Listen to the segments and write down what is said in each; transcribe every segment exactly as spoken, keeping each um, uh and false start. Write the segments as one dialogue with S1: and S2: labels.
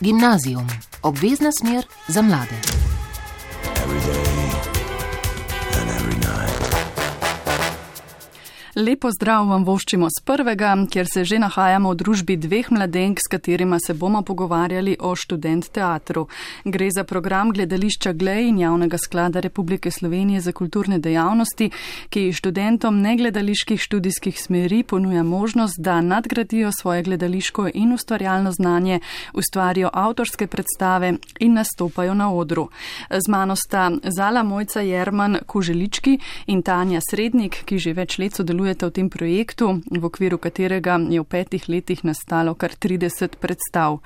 S1: Gimnazijum, obvezna smer za mlade.
S2: Lepo zdrav vam voščimo z prvega, kjer se že nahajamo v družbi dveh mladenk, s katerima se bomo pogovarjali o študent teatru. Gre za program gledališča Glej in Javnega sklada Republike Slovenije za kulturne dejavnosti, ki študentom negledaliških študijskih smeri ponuja možnost, da nadgradijo svoje gledališko in ustvarjalno znanje, ustvarijo avtorske predstave in nastopajo na odru. Z mano sta Zala Mojca Jerman Kuželički in Tanja Srednik, ki že več let sodelujejo v tem projektu, v okviru katerega je v petih letih nastalo kar trideset predstav.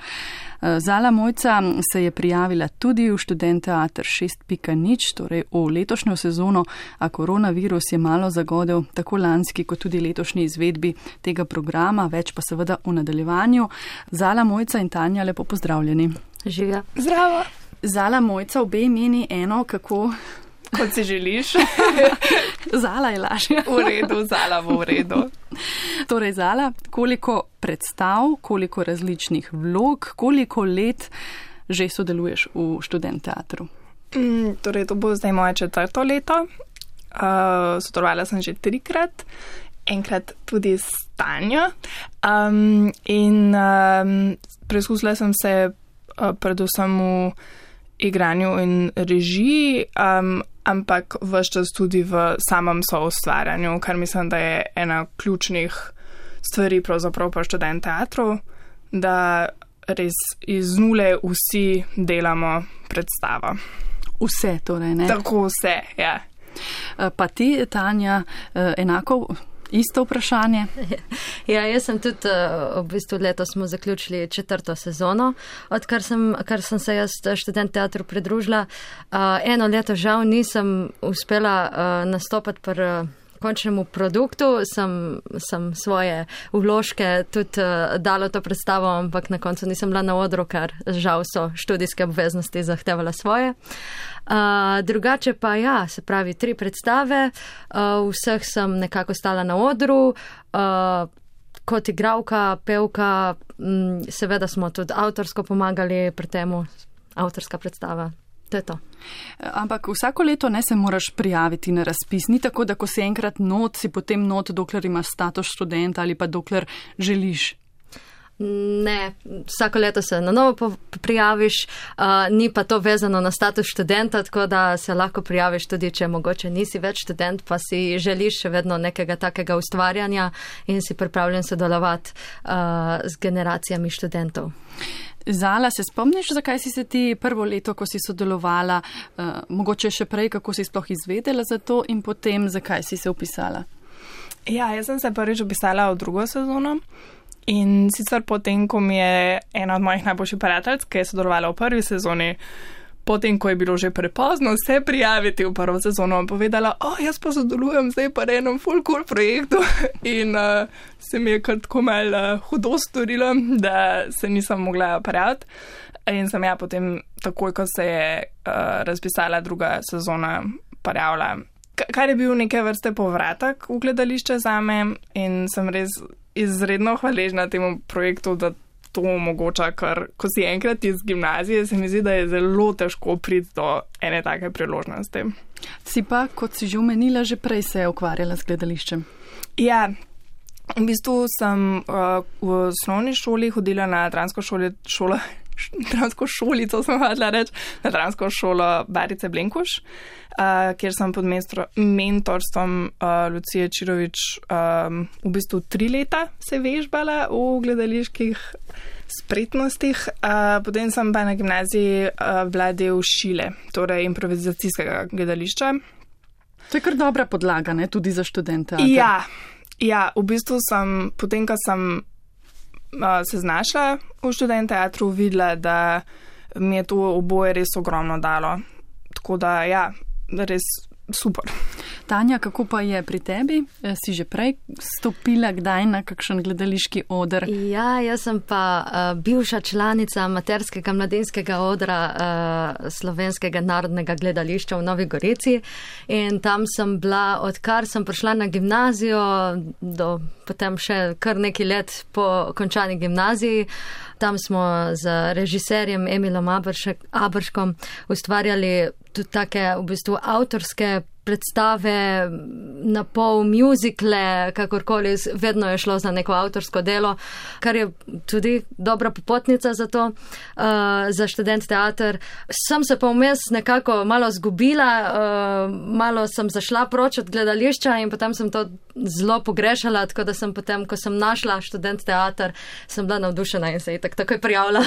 S2: Zala Mojca se je prijavila tudi v študent teater šest pika nič, torej v letošnjo sezono, a koronavirus je malo zagodel tako lanski kot tudi letošnji izvedbi tega programa, več pa seveda v nadaljevanju. Zala Mojca in Tanja, lepo pozdravljeni.
S3: Živijo.
S4: Zdravo.
S2: Zala Mojca, obe imeni eno, kako...
S4: Kot si želiš.
S2: Zala je lažja.
S4: V redu, Zala bo v redu.
S2: Torej, Zala, koliko predstav, koliko različnih vlog, koliko let že sodeluješ v študent teatru?
S4: Mm, torej, to bo zdaj moje četrto leto. Uh, sodelovala sem že trikrat, enkrat tudi s Tanjo. Um, in um, preizkusila sem se uh, predvsem v igranju in režiji, um, ampak ves čas tudi v samem soustvarjanju, kar mislim, da je ena ključnih stvari pravzaprav pa študent teatru, da res iz nule vsi delamo predstavo.
S2: Vse torej, ne?
S4: Tako vse, ja.
S2: Pa ti, Tanja, enako isto vprašanje?
S3: Ja, jaz sem tudi, v bistvu letos smo zaključili četrto sezono, odkar sem, kar sem se jaz študent teatru pridružila. Eno leto žal nisem uspela nastopati pri končnemu produktu, sem, sem svoje vložke tudi dala to predstavo, ampak na koncu nisem bila na odru, ker žal so študijske obveznosti zahtevala svoje. Uh, drugače pa ja, se pravi tri predstave, uh, vseh sem nekako stala na odru, uh, kot igralka, pevka, m, seveda smo tudi avtorsko pomagali pri temu, avtorska predstava. To je to.
S2: Ampak vsako leto ne se moraš prijaviti na razpis. Ni tako, da ko si enkrat not, si potem not, dokler imaš status študenta ali pa dokler želiš.
S3: Ne, vsako leto se na novo prijaviš, uh, ni pa to vezano na status študenta, tako da se lahko prijaviš tudi, če mogoče nisi več študent, pa si želiš še vedno nekega takega ustvarjanja in si pripravljen sodelovati uh, z generacijami študentov.
S2: Zala, se spomniš, zakaj si se ti prvo leto, ko si sodelovala, uh, mogoče še prej, kako si sploh izvedela za to in potem, zakaj si se upisala?
S4: Ja, jaz sem se prvič upisala v drugo sezono in sicer potem, ko mi je ena od mojih najboljših prijateljic, ki je sodelovala v prvi sezoni, potem, ko je bilo že prepozno se prijaviti v prvo sezono, povedala, o, jaz pa sodelujem zdaj pa na enem full cool projektu in uh, se mi je kar tako malo uh, hudo storilo, da se nisem mogla prijaviti. In sem ja potem takoj, ko se je uh, razpisala druga sezona, prijavila. K- kar je bil neke vrste povratek v gledališče zame in sem res izredno hvaležna temu projektu, da to omogoča, ker ko si enkrat iz gimnazije, se mi zdi, da je zelo težko priti do ene take priložnosti.
S2: Si pa, kot si že omenila, že prej se je ukvarjala z gledališčem.
S4: Ja, v bistvu sem uh, v osnovni šoli hodila na dramsko šolo, šolo dramsko šolico, sem hodila reči, na dramsko šolo Barice Blenkuš, uh, kjer sem pod mestro, mentorstvom uh, Lucije Čirovič um, v bistvu tri leta se vežbala v gledaliških spretnostih. Uh, potem sem pa na gimnaziji uh, bila del Šile, torej improvizacijskega gledališča.
S2: To je kar dobra podlaga, ne, tudi za študente.
S4: Ja, ja, v bistvu sem, potem, ko sem uh, se znašla v študent teatru, videla, da mi je to oboje res ogromno dalo. Tako da, ja, res super.
S2: Tanja, kako pa je pri tebi? Si že prej stopila kdaj na kakšen gledališki oder?
S3: Ja, jaz sem pa uh, bivša članica amaterskega mladinskega odra uh, Slovenskega narodnega gledališča v Novi Gorici in tam sem bila, odkar sem prišla na gimnazijo, do potem še kar nekaj let po končani gimnaziji. Tam smo z režiserjem Emilom Aberškom ustvarjali tudi take v bistvu avtorske predstave, na pol muzikle, kakorkoli, vedno je šlo za neko avtorsko delo, kar je tudi dobra popotnica za to, uh, za študent teater. Sem se pa vmes nekako malo zgubila, uh, malo sem zašla proč od gledališča in potem sem to zelo pogrešala, tako da sem potem, ko sem našla študent teater, sem bila navdušena in se je tak, takoj prijavila.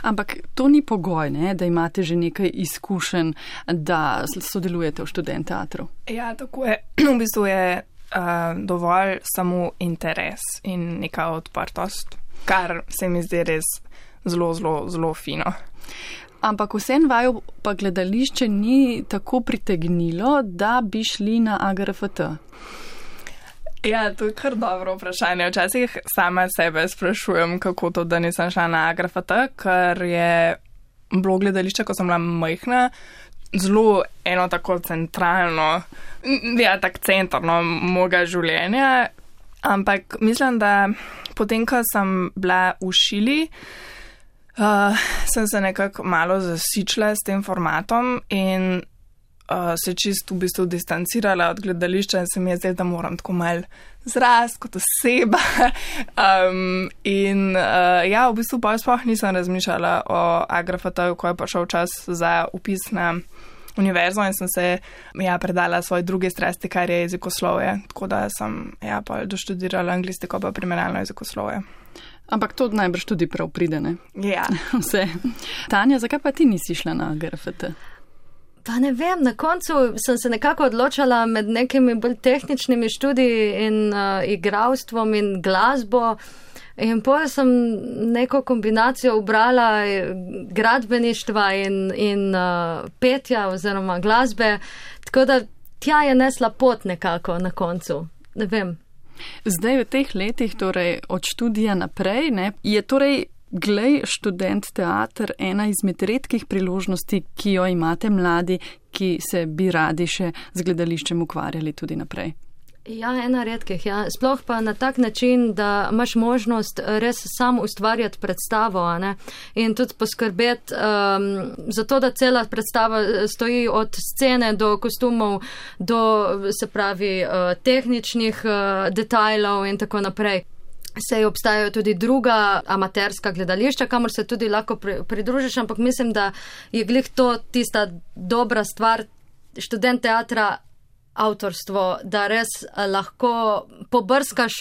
S2: Ampak to ni pogoj, ne, da imate že nekaj izkušenj, da sodelujete v študent teatru.
S4: Ja, tako je. V bistvu je uh, dovolj samo interes in neka odprtost, kar se mi zdi res zelo, zelo, zelo fino.
S2: Ampak vsem vaju pa gledališče ni tako pritegnilo, da bi šli na A G R F T.
S4: Ja, to je kar dobro vprašanje. Včasih sama sebe sprašujem, kako to, da nisem šla na A G R F T, ker je bilo gledališče, ko sem bila majhna, zelo eno tako centralno, ja, tak centrno mojega življenja, ampak mislim, da potem, ko sem bila v šili, uh, sem se nekako malo zasičila s tem formatom in uh, se čisto v bistvu distancirala od gledališča in se mi je zdelo, da moram tako malo zrast kot oseba. um, in uh, ja, v bistvu pa sploh nisem razmišljala o A G R F T-ju, ko je prišel čas za upis na univerzo in sem se ja, predala svoji druge strasti, kar je jezikoslovje. Tako da sem ja, pa doštudirala anglistiko pa primerjalno jezikoslovje.
S2: Ampak to najbrž tudi prav pride, ne?
S4: Ja.
S2: Vse. Tanja, zakaj pa ti nisi šla na A G R F T?
S3: Pa ne vem, na koncu sem se nekako odločala med nekimi bolj tehničnimi študiji in uh, igralstvom in glasbo. In potem sem neko kombinacijo ubrala gradbeništva in, in uh, petja oziroma glasbe, tako da tja je nesla pot nekako na koncu. Ne vem.
S2: Zdaj v teh letih, torej od študija naprej, ne, je torej Glej študent teater ena izmed redkih priložnosti, ki jo imate mladi, ki se bi radi še z gledališčem ukvarjali tudi naprej.
S3: Ja, ena redkih, ja. Sploh pa na tak način, da imaš možnost res sam ustvarjati predstavo, a ne? In tudi poskrbeti um, za to, da cela predstava stoji od scene do kostumov, do, se pravi, uh, tehničnih uh, detajlov in tako naprej. Sej obstajajo tudi druga amaterska gledališča, kamor se tudi lahko pridružiš, ampak mislim, da je glih to tista dobra stvar študent teatra, avtorstvo, da res lahko pobrskaš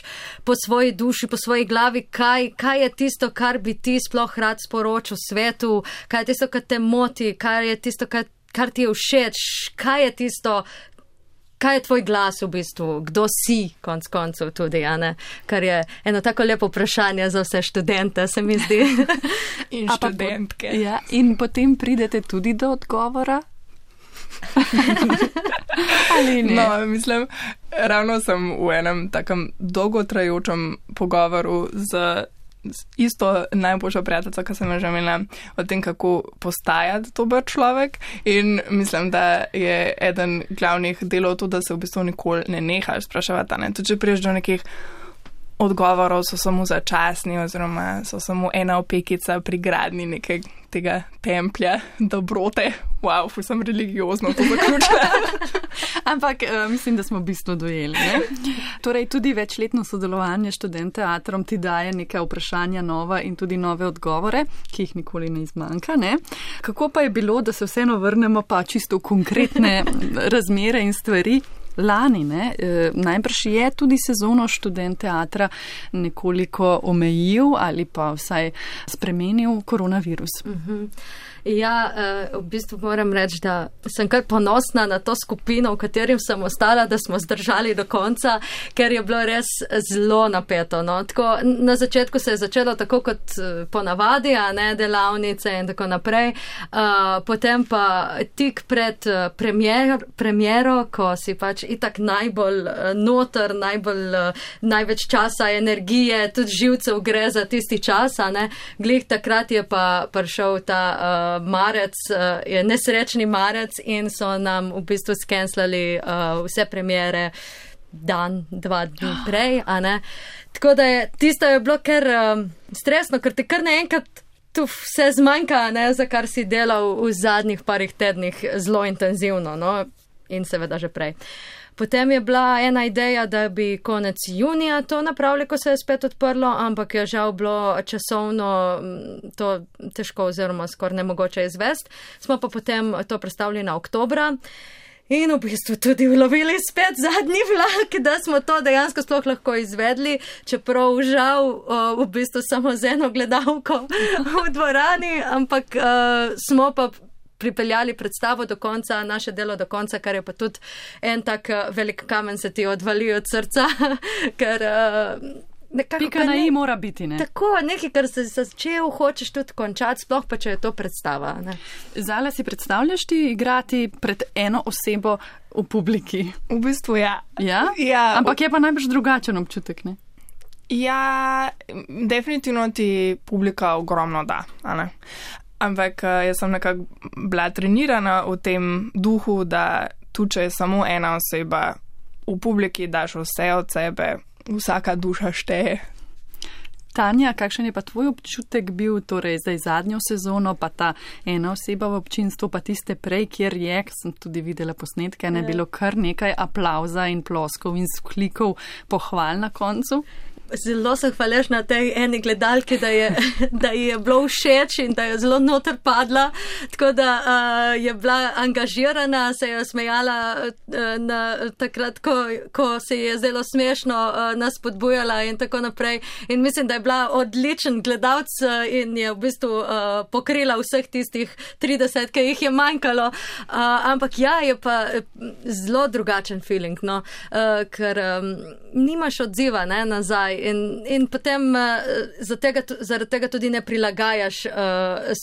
S3: po svoji duši, po svoji glavi, kaj, kaj je tisto, kar bi ti sploh rad sporočil svetu, kaj je tisto, kar te moti, kaj je tisto, kar, kar ti je všeč, kaj je tisto, kaj je tvoj glas v bistvu, kdo si, konc koncev tudi, a ne? Kar je eno tako lepo vprašanje za vse študente, se mi zdi.
S4: In študentke.
S2: Po, ja, in potem pridete tudi do odgovora? Ali ne?
S4: No, mislim, ravno sem v enem takem dolgotrajočem pogovoru z isto najboljšo prijateljico, ki sem jo že imela, o tem, kako postajati dober človek. In mislim, da je eden glavnih delov to, da se v bistvu nikoli ne nehaš spraševati. Ne? Tudi če priješ do nekih odgovorov, so samo začasni oziroma so samo ena opekica pri gradni nekaj tega templja dobrote. Wow, ful sem religiozno to zaključila.
S2: Ampak uh, mislim, da smo v bistvu dojeli. Ne? Torej, tudi večletno sodelovanje študent teatrom ti daje neka vprašanja nova in tudi nove odgovore, ki jih nikoli ne izmanjka. Ne? Kako pa je bilo, da se vseeno vrnemo pa čisto v konkretne razmere in stvari? lani, ne, e, najbrž je tudi sezono študent teatra nekoliko omejil ali pa vsaj spremenil koronavirus.
S3: Mhm. Ja, v bistvu moram reči, da sem kar ponosna na to skupino, v katerim sem ostala, da smo zdržali do konca, ker je bilo res zelo napeto. No. Tako, na začetku se je začelo tako kot ponavadi, a ne delavnice in tako naprej. Uh, potem pa tik pred premier, premiero, ko si pač itak najbolj noter, najbolj, največ časa, energije, tudi živcev gre za tisti čas, a ne. Glih takrat je pa prišel ta uh, marec, uh, je nesrečni marec in so nam v bistvu skenslali uh, vse premiere dan, dva dni prej, a ne. Tako da je, tisto je bilo kar um, stresno, ker te kar naenkrat tu vse zmanjka, ne, za kar si delal v zadnjih parih tednih zelo intenzivno, no, in seveda že prej. Potem je bila ena ideja, da bi konec junija to napravili, ko se je spet odprlo, ampak je žal bilo časovno to težko oziroma skoraj nemogoče izvesti. Smo pa potem to prestavili na oktobra in v bistvu tudi ulovili spet zadnji vlak, da smo to dejansko sploh lahko izvedli, čeprav žal v bistvu samo z eno gledalko v dvorani, ampak uh, smo pa pripeljali predstavo do konca, naše delo do konca, kar je pa tudi en tak velik kamen se ti odvali od srca, ker nekako...
S2: Pika na i mora biti, ne?
S3: Tako, nekaj, kar se začel, hočeš tudi končati, sploh pa, če je to predstava, ne?
S2: Zala, si predstavljaš ti igrati pred eno osebo v publiki?
S4: V bistvu ja.
S2: Ja?
S4: Ja.
S2: Ampak je pa najbrž drugačen občutek, ne?
S4: Ja, definitivno ti publika ogromno da, a ne? Ampak jaz sem nekako bila trenirana v tem duhu, da tu, če je samo ena oseba v publiki, daš vse od sebe, vsaka duša šteje.
S2: Tanja, kakšen je pa tvoj občutek bil, torej zdaj zadnjo sezono, pa ta ena oseba v občinstvu, pa tiste prej, kjer je, sem tudi videla posnetke, ne bilo kar nekaj aplauza in ploskov in sklikov pohval na koncu?
S3: Zelo sem hvaležna tej eni gledalki, da je, da je bilo všeč in da je zelo noter padla, tako da uh, je bila angažirana, se je smejala uh, na, takrat, ko, ko se je zelo smešno uh, nas podbujala in tako naprej. In mislim, da je bila odličen gledalc uh, in je v bistvu uh, pokrila vseh tistih trideset, ki jih je manjkalo. Uh, ampak ja, je pa zelo drugačen feeling, no, uh, ker um, nimaš odziva, ne, nazaj. In, in potem uh, zaradi tega, zaradi tega tudi ne prilagajaš uh,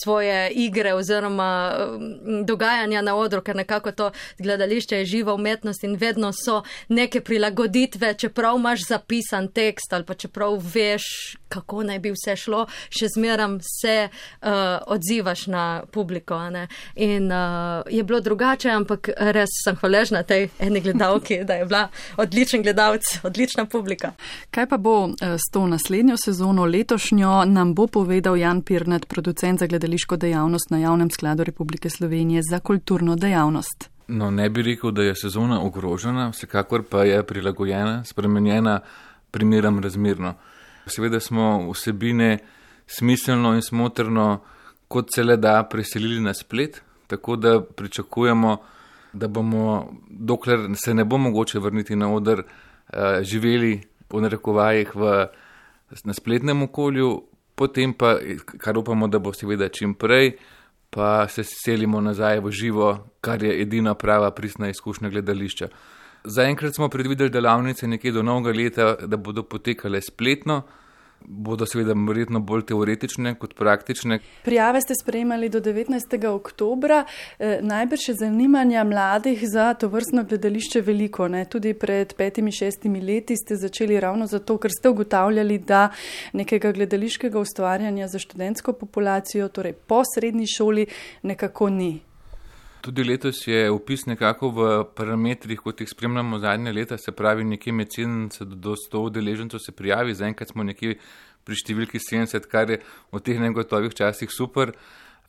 S3: svoje igre oziroma uh, dogajanja na odru, ker nekako to gledališče je živa umetnost in vedno so neke prilagoditve, čeprav imaš zapisan tekst ali pa čeprav veš, kako naj bi vse šlo, še zmeram se uh, odzivaš na publiko. Ne? In uh, je bilo drugače, ampak res sem hvaležna tej eni gledalki, da je bila odličen gledalec, odlična publika.
S2: Kaj pa bo s to naslednjo sezono, letošnjo, nam bo povedal Jan Pirnat, producent za gledališko dejavnost na Javnem skladu Republike Slovenije za kulturno dejavnost.
S5: No, ne bi rekel, da je sezona ogrožena, vsekakor pa je prilagojena, spremenjena primeram razmerno. Seveda smo vsebine smiselno in smotrno, kot se le da, preselili na splet, tako da pričakujemo, da bomo, dokler se ne bo mogoče vrniti na oder, živeli v narekovajih v, na spletnem okolju, potem pa, kar upamo, da bo seveda čim prej, pa se selimo nazaj v živo, kar je edina prava pristna izkušnja gledališča. Zaenkrat smo predvideli delavnice nekje do novega leta, da bodo potekale spletno, bodo seveda verjetno bolj teoretične kot praktične.
S2: Prijave ste sprejemali do devetnajstega oktobra. E, najbrž je zanimanja mladih za to vrstno gledališče veliko. Ne? Tudi pred petimi, šestimi leti ste začeli ravno zato, ker ste ugotavljali, da nekega gledališkega ustvarjanja za študentsko populacijo, torej po srednji šoli, nekako ni.
S5: Tudi letos je vpis nekako v parametrih, kot jih spremljamo zadnje leta, se pravi nekje med sedemdeset do sto udeležencev se prijavi, zaenkrat smo nekje pri številki sedemdeset, kar je v teh negotovih časih super.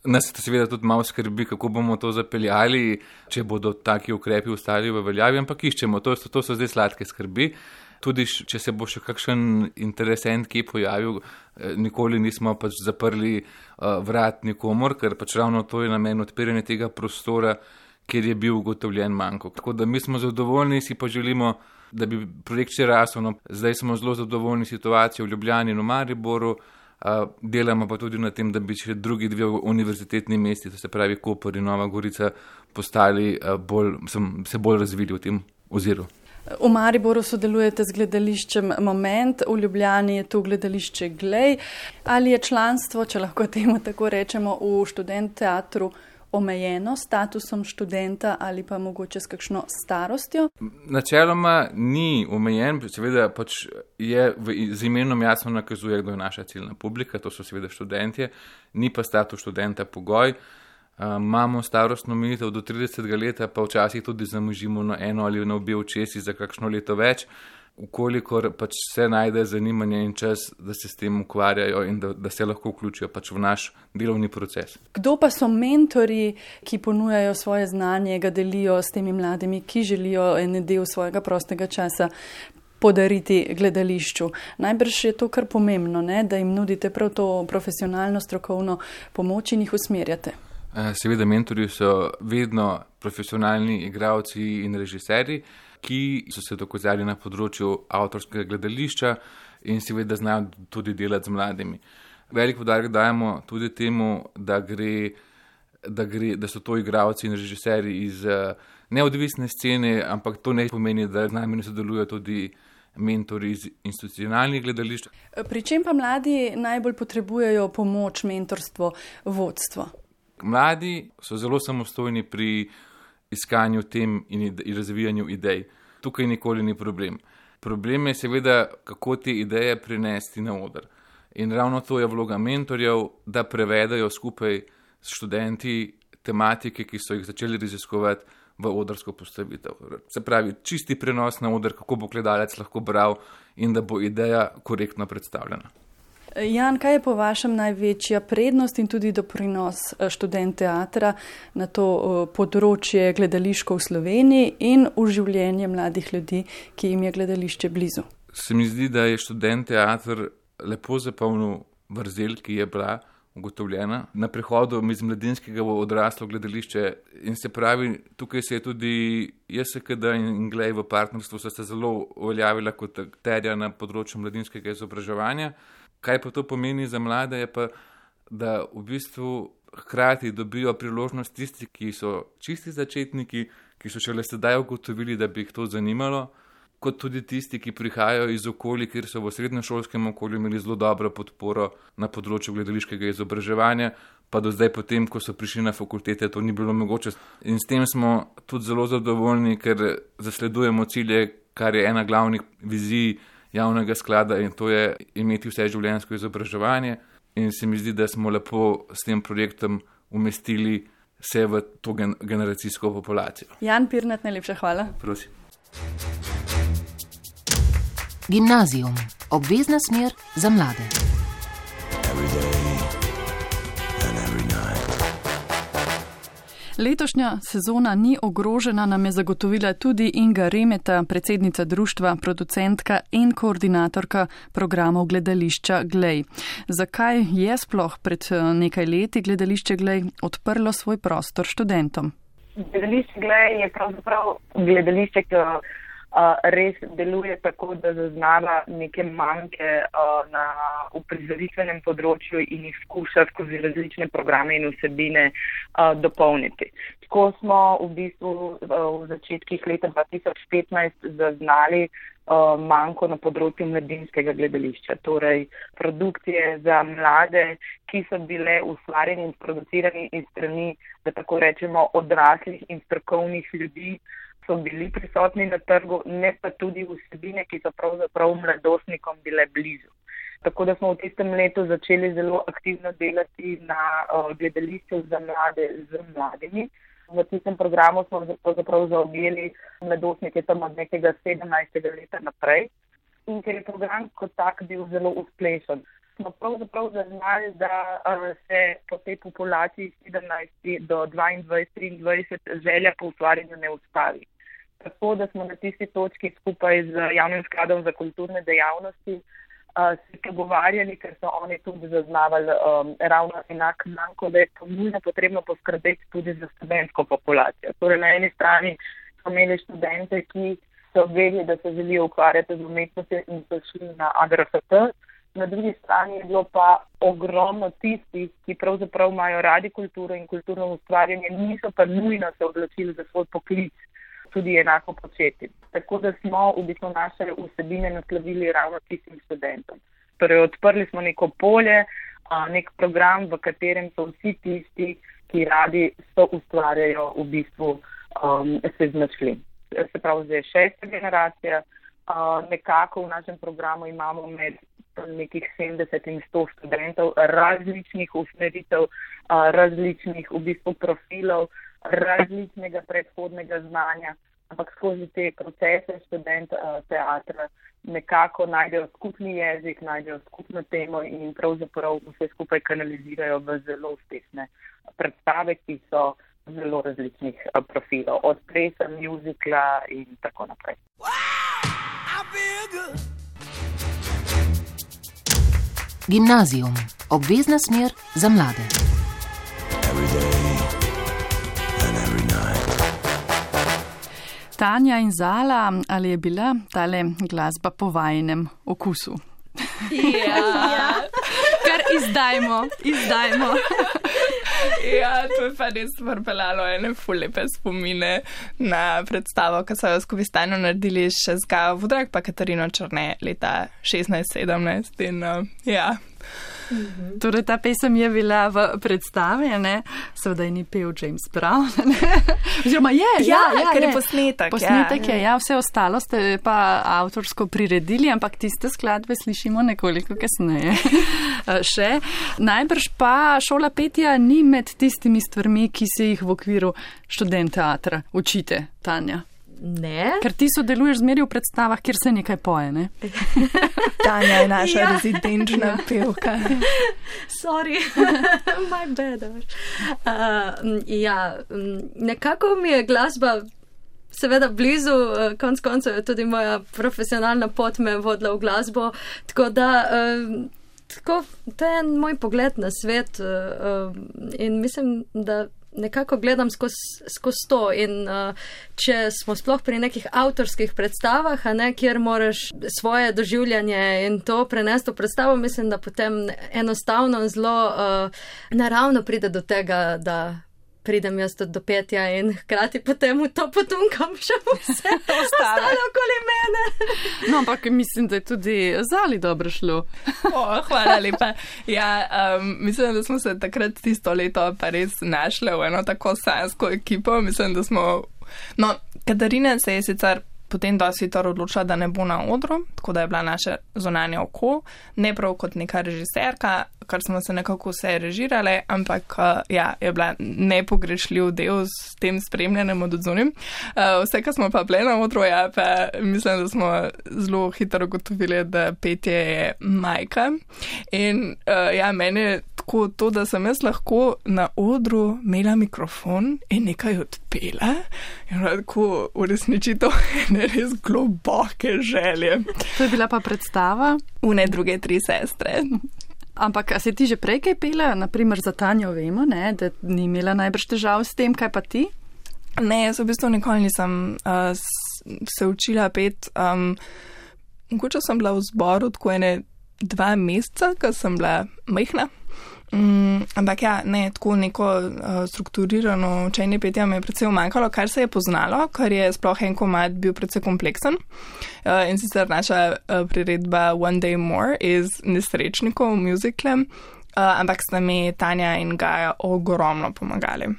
S5: Nas seveda tudi malo skrbi, kako bomo to zapeljali, če bodo taki ukrepi ostali v veljavi, ampak iščemo, to, to so zdaj sladke skrbi. Tudi, če se bo še kakšen interesent kje pojavil, nikoli nismo pač zaprli uh, vrat nikomor, ker pač ravno to je namen odpiranja tega prostora, kjer je bil ugotovljen manko. Tako da mi smo zadovoljni, si pa želimo, da bi projekt še rasel. No, zdaj smo zelo zadovoljni situacijo v Ljubljani in v Mariboru, a, delamo pa tudi na tem, da bi še drugi dve univerzitetni mesti, to se pravi Koper in Nova Gorica, postali a, bolj, sem, se bolj razvili v tem oziru.
S2: V Mariboru sodelujete z gledališčem Moment, v Ljubljani je tu gledališče Glej. Ali je članstvo, če lahko temu tako rečemo, v študent teatru omejeno statusom študenta ali pa mogoče s kakšno starostjo?
S5: Načeloma ni omejen, seveda pač je v, z imenom jasno nakazuje, kdo je naša ciljna publika, to so seveda študentje, ni pa status študenta pogoj. Uh, imamo starostno omejitev do tridesetega leta, pa včasih tudi zamožimo na eno ali na obe očesi za kakšno leto več, ukolikor pač se najde zanimanje in čas, da se s tem ukvarjajo in da, da se lahko vključijo pač v naš delovni proces.
S2: Kdo pa so mentori, ki ponujajo svoje znanje, ga delijo s temi mladimi, ki želijo en del svojega prostega časa podariti gledališču? Najbrž je to kar pomembno, ne? Da jim nudite prav to profesionalno, strokovno pomoč in jih usmerjate.
S5: Seveda mentorji so vedno profesionalni igralci in režiserji, ki so se dokazali na področju avtorskega gledališča in seveda znajo tudi delati z mladimi. Velik poudarek dajemo tudi temu, da, gre, da, gre, da so to igralci in režiserji iz neodvisne scene, ampak to ne pomeni, da z nami ne sodelujo tudi mentori iz institucionalnih gledališč.
S2: Pri čem pa mladi najbolj potrebujejo pomoč, mentorstvo, vodstvo?
S5: Mladi so zelo samostojni pri iskanju tem in, ide, in razvijanju idej. Tukaj nikoli ni problem. Problem je seveda, kako te ideje prinesti na oder. In ravno to je vloga mentorjev, da prevedajo skupaj s študenti tematike, ki so jih začeli raziskovati v odrsko postavitev. Se pravi, čisti prenos na oder, kako bo gledalec lahko bral in da bo ideja korektno predstavljena.
S2: Jan, kaj je po vašem največja prednost in tudi doprinos študent teatra na to področje gledališko v Sloveniji in v življenje mladih ljudi, ki jim je gledališče blizu?
S5: Se mi zdi, da je študent teatr lepo zapolnil vrzel, ki je bila ugotovljena na prehodu iz mladinskega v odraslo gledališče. In se pravi, tukaj se je tudi J S K D in Glej v partnerstvu so se zelo uveljavila kot akterja na področju mladinskega izobraževanja. Kaj pa to pomeni za mlade, je pa, da v bistvu hkrati dobijo priložnost tisti, ki so čisti začetniki, ki so šele sedaj ugotovili, da bi jih to zanimalo, kot tudi tisti, ki prihajajo iz okolij, kjer so v srednješolskem okolju imeli zelo dobro podporo na področju gledališkega izobraževanja, pa do zdaj potem, ko so prišli na fakultete, to ni bilo mogoče. In s tem smo tudi zelo zadovoljni, ker zasledujemo cilje, kar je ena glavnih vizij javnega sklada in to je imeti vse življenjsko izobraževanje in se mi zdi, da smo lepo s tem projektom umestili vse v to gen- generacijsko populacijo.
S2: Jan Pirnat, najlepša hvala.
S5: Prosim.
S1: Gimnazijum. Obvezna smer za mlade.
S2: Letošnja sezona ni ogrožena, nam je zagotovila tudi Inga Remeta, predsednica društva, producentka in koordinatorka programov gledališča Glej. Zakaj je sploh pred nekaj leti gledališče Glej odprlo svoj prostor študentom?
S6: Gledališče Glej je pravzaprav gledališče, ki uh, res deluje tako, da zaznava neke manjke uh, na uprizoritvenem področju in jih skuša skozi različne programe in vsebine uh, dopolniti. Tako smo v bistvu uh, v začetkih leta dva tisoč petnajst zaznali uh, manjko na področju mladinskega gledališča, torej produkcije za mlade, ki so bile ustvarjene in producirane iz strani, da tako rečemo, odraslih in strokovnih ljudi, so bili prisotni na trgu, ne pa tudi vsebine, ki so pravzaprav mladostnikom bile blizu. Tako da smo v tistem letu začeli zelo aktivno delati na uh, gledališču za mlade z mladimi. V tistem programu smo pravzaprav zaobjeli mladostnike tam od nekega sedemnajstega leta naprej. In ker je program kot tak bil zelo uspešen, smo pravzaprav zaznali, da uh, se po tej populaciji sedemnajst do dvaindvajset triindvajset želja po ustvarjanju ne ustavi. Tako da smo na tisti točki skupaj z Javnim skladom za kulturne dejavnosti uh, se pogovarjali, ker so oni tudi zaznavali um, ravno enak manko, da je to nujno potrebno poskrbeti tudi za študentsko populacijo. Torej, na eni strani so imeli študente, ki so vedeli, da se želijo ukvarjati z umetnostjo in so šli na A G R F T. Na drugi strani je bilo pa ogromno tistih, ki pravzaprav imajo radi kulturo in kulturno ustvarjanje, niso pa nujno se odločili za svoj poklic tudi enako početi. Tako da smo v bistvu naše vsebine naslovili ravno tistim študentom. Torej, odprli smo neko polje, nek program, v katerem so vsi tisti, ki radi so ustvarjajo, v bistvu um, se znašli. Se pravi, zdaj šesta generacija, uh, nekako v našem programu imamo med nekih sedemdeset in sto študentov različnih usmeritev, različnih v bistvu profilov, različnega predhodnega znanja, ampak skozi te procese študent teatra nekako najdejo skupni jezik, najdejo skupno temo in pravzaprav vse skupaj kanalizirajo v zelo uspešne predstave, ki so zelo različnih profilov, od plesa, muzikla in tako naprej.
S1: Gimnazijum. Obvezna smer za mlade.
S2: Tanja in Zala, ali je bila tale glasba po vajinem okusu?
S4: Ja,
S2: kar izdajmo, izdajmo.
S4: Ja, to je pa res vrpeljalo ene ful lepe spomine na predstavo, ki so jo skupaj s Tanjo naredili še z Gajo Vudrag pa Katarino Črne leta šestnajst sedemnajst in uh, ja.
S2: Mm-hmm. Torej, ta pesem je bila v predstavi, ne? Seveda je ni pel James Brown, ne? Oziroma je, ja,
S4: ja,
S2: ja,
S4: ker je
S2: je.
S4: posnetek.
S2: Posnetek
S4: ja.
S2: je, ja, vse ostalo ste pa avtorsko priredili, ampak tiste skladbe slišimo nekoliko kasneje. Še. Najbrž pa šola petja ni med tistimi stvarmi, ki se jih v okviru študent teatra učite, Tanja.
S3: Ne.
S2: Ker ti sodeluješ zmeri v predstavah, kjer se nekaj poje, ne?
S4: Tanja je naša
S3: Ja.
S4: rezidenčna pevka.
S3: Sorry, my bad. Uh, ja, nekako mi je glasba seveda blizu, konc koncev je tudi moja profesionalna pot me vodila v glasbo, tako da uh, tako, to je moj pogled na svet uh, in mislim, da nekako gledam skozi skoz to in uh, če smo sploh pri nekih avtorskih predstavah, a ne, kjer moraš svoje doživljanje in to prenesti v predstavo, mislim, da potem enostavno zelo uh, naravno pride do tega, da pridem jaz do petja in hkrati potem v to potunkam še vse ostalo okoli mene.
S2: No, ampak mislim, da je tudi Zali dobro šlo.
S4: O, hvala lepa. Ja, um, mislim, da smo se takrat tisto leto pa res našli v eno tako sanjsko ekipo. Mislim, da smo... No, Katarina se je sicer potem dosti hitro odločila, da ne bo na odru, tako da je bila naše zunanje oko, ne prav kot neka režiserka, kar smo se nekako vse režirali, ampak ja, je bila nepogrešljiv del s tem spremljanjem od odzunjem. Vse, kar smo pa bile na odru, ja, pa mislim, da smo zelo hitro ugotovili, da petje je majka. In ja, meni je tako to, da sem jaz lahko na odru imela mikrofon in nekaj odpela in tako uresničito ene res globoke želje.
S2: To je bila pa predstava?
S4: Une druge tri sestre.
S2: Ampak, a si ti že prej kaj pela? Naprimer za Tanjo vemo, ne, da ni imela najbrž težav s tem, kaj pa ti?
S4: Ne, jaz v bistvu nikoli nisem uh, se učila pet. Um, mogoče sem bila v zboru tako ene dva meseca, ko sem bila majhna. Um, ampak ja, ne, tako neko uh, strukturirano učenje petja me je predvsej umanjkalo, kar se je poznalo, kar je sploh en komad bil predvsej kompleksen. Uh, in sicer naša uh, priredba One Day More iz Nesrečnikov v muzikle, uh, ampak sta mi Tanja in Gaja ogromno pomagali.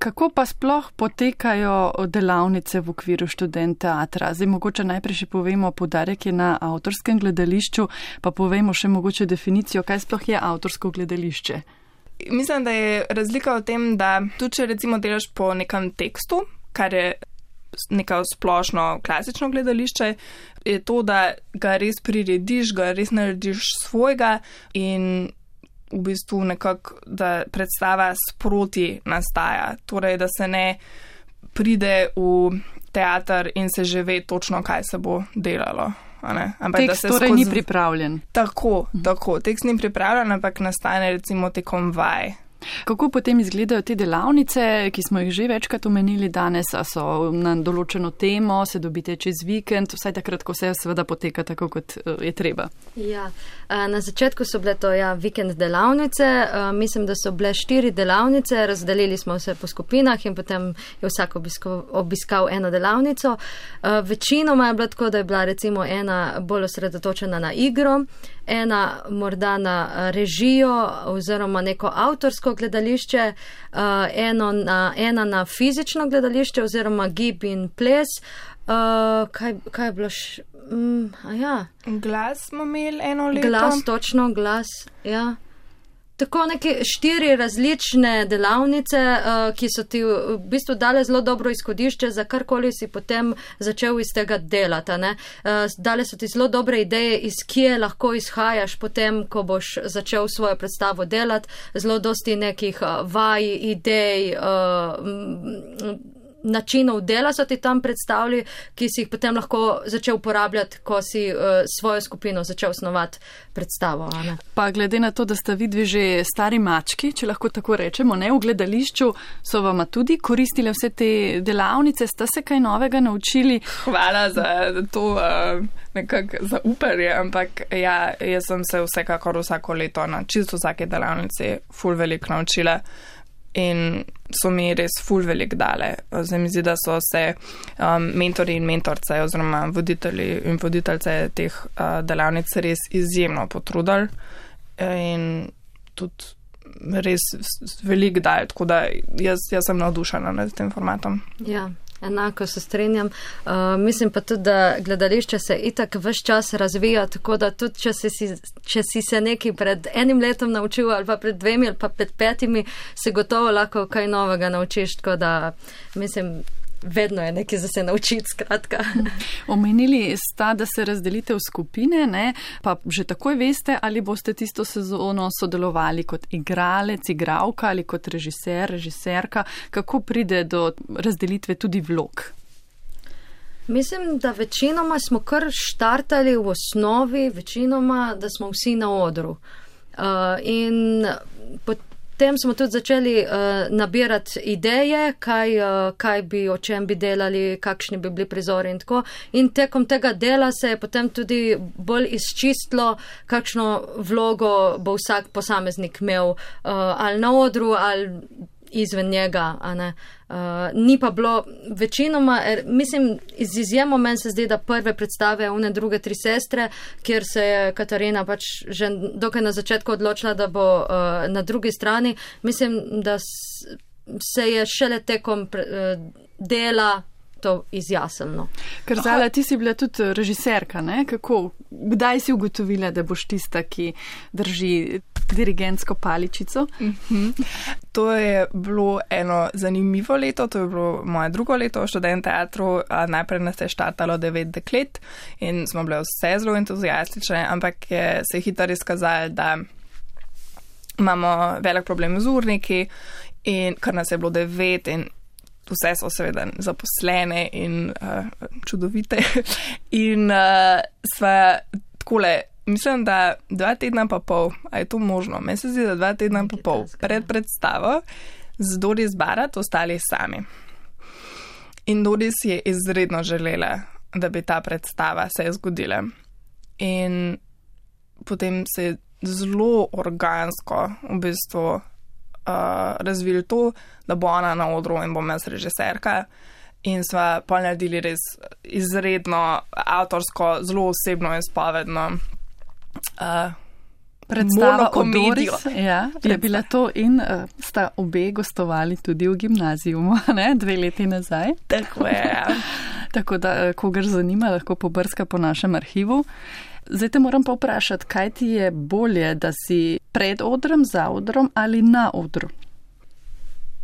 S2: Kako pa sploh potekajo delavnice v okviru študent teatra? Zdaj mogoče najprej še povemo, poudarek je na avtorskem gledališču, pa povemo še mogoče definicijo, kaj sploh je avtorsko gledališče.
S4: Mislim, da je razlika v tem, da tudi če recimo delaš po nekem tekstu, kar je neko splošno klasično gledališče, je to, da ga res prirediš, ga res narediš svojega in v bistvu nekako, da predstava sproti nastaja. Torej, da se ne pride v teater in se že ve točno, kaj se bo delalo. Ampak,
S2: tekst torej skozi... ni pripravljen.
S4: Tako, tako. Tekst ni pripravljen, ampak nastane recimo tekom vaj.
S2: Kako potem izgledajo te delavnice, ki smo jih že večkrat omenili danes, a so na določeno temo, se dobite čez vikend, vsaj takrat, ko vse seveda poteka tako, kot je treba?
S3: Ja, na začetku so bile to ja, vikend delavnice, mislim, da so bile štiri delavnice, razdelili smo se po skupinah in potem je vsak obiskal, obiskal eno delavnico. Večinoma je bilo tako, da je bila recimo ena bolj osredotočena na igro, ena morda na režijo oziroma neko avtorsko gledališče, eno na, ena na fizično gledališče oziroma gib in ples. Kaj, kaj je bilo š... Mm, a ja.
S4: Glas smo imeli eno leto.
S3: Glas, točno, glas, ja. Tako neke štiri različne delavnice, uh, ki so ti v bistvu dale zelo dobro izhodišče za karkoli si potem začel iz tega delati. Uh, dale so ti zelo dobre ideje, iz kje lahko izhajaš potem, ko boš začel svojo predstavo delati. Zelo dosti nekih uh, vaj, idej, uh, načinov dela so ti tam predstavili, ki si jih potem lahko začel uporabljati, ko si uh, svojo skupino začel snovati predstavo. Ne?
S2: Pa glede na to, da sta vidvi že stari mački, če lahko tako rečemo, ne, v gledališču, so vama tudi koristile vse te delavnice, sta se kaj novega naučili?
S4: Hvala za to uh, nekako zaupanje, ampak ja, jaz sem se vsekakor vsako leto na čisto vsake delavnici ful veliko naučila. In so mi res ful velik dale. Zdaj mi zdi, da so se um, mentori in mentorce oziroma voditelji in voditeljce teh uh, delavnic res izjemno potrudili in tudi res velik dal, tako da jaz, jaz sem navdušena nad tem formatom.
S3: Ja. Enako se strenjam. Uh, mislim pa tudi, da gledališče se itak ves čas razvija, tako da tudi, če si, če si se nekaj pred enim letom naučil ali pa pred dvemi ali pa pred petimi, se gotovo lahko kaj novega naučiš, tako da mislim, vedno je nekaj za se naučiti, skratka.
S2: Omenili sta, da se razdelite v skupine, ne? Pa že takoj veste, ali boste tisto sezono sodelovali kot igralec, igralka ali kot režiser, režiserka. Kako pride do razdelitve tudi vlog?
S3: Mislim, da večinoma smo kar štartali v osnovi, večinoma, da smo vsi na odru. Uh, in potem Potem smo tudi začeli uh, nabirati ideje, kaj, uh, kaj bi, o čem bi delali, kakšni bi bili prizori in tako. In tekom tega dela se je potem tudi bolj izčistilo, kakšno vlogo bo vsak posameznik imel uh, ali na odru ali izven njega, a ne. Uh, ni pa bilo večinoma, er, mislim, iz izjemo meni se zdi, da prve predstave une druge tri sestre, kjer se je Katarina pač že dokaj na začetku odločila, da bo uh, na drugi strani, mislim, da se je šele tekom pre, uh, dela to izjasnilo.
S2: Karzala, ti si bila tudi režiserka, ne? Kako? Kdaj si ugotovila, da boš tista, ki drži dirigentsko paličico?
S4: Mm-hmm. To je bilo eno zanimivo leto, to je bilo moje drugo leto v študent teatru. Najprej nas je štartalo devet deklet in smo bile vse zelo entuzijastične, ampak je se hitro izkazalo, da imamo velik problem z urniki in kar nas je bilo devet in vse so seveda zaposlene in uh, čudovite. In uh, sva takole, mislim, da dva tedna pa pol, a je to možno? Meni se zdi, da dva tedna pa pol pred predstavo z Doris Barat ostali sami. In Doris je izredno želela, da bi ta predstava se je zgodila. In potem se je zelo organsko v bistvu Uh, razvili to, da bo ona na odru in bom jaz režiserka. In sva pol naredili res izredno avtorsko, zelo osebno in spovedno uh,
S2: predstavo o Doris. Ja, je bila to in uh, sta obe gostovali tudi v gimnaziju, ne? Dve leti nazaj.
S4: Tako je.
S2: Tako da, kogar zanima, lahko pobrska po našem arhivu. Zdaj te moram pa vprašati, kaj ti je bolje, da si pred odrom, za odrom ali na odru?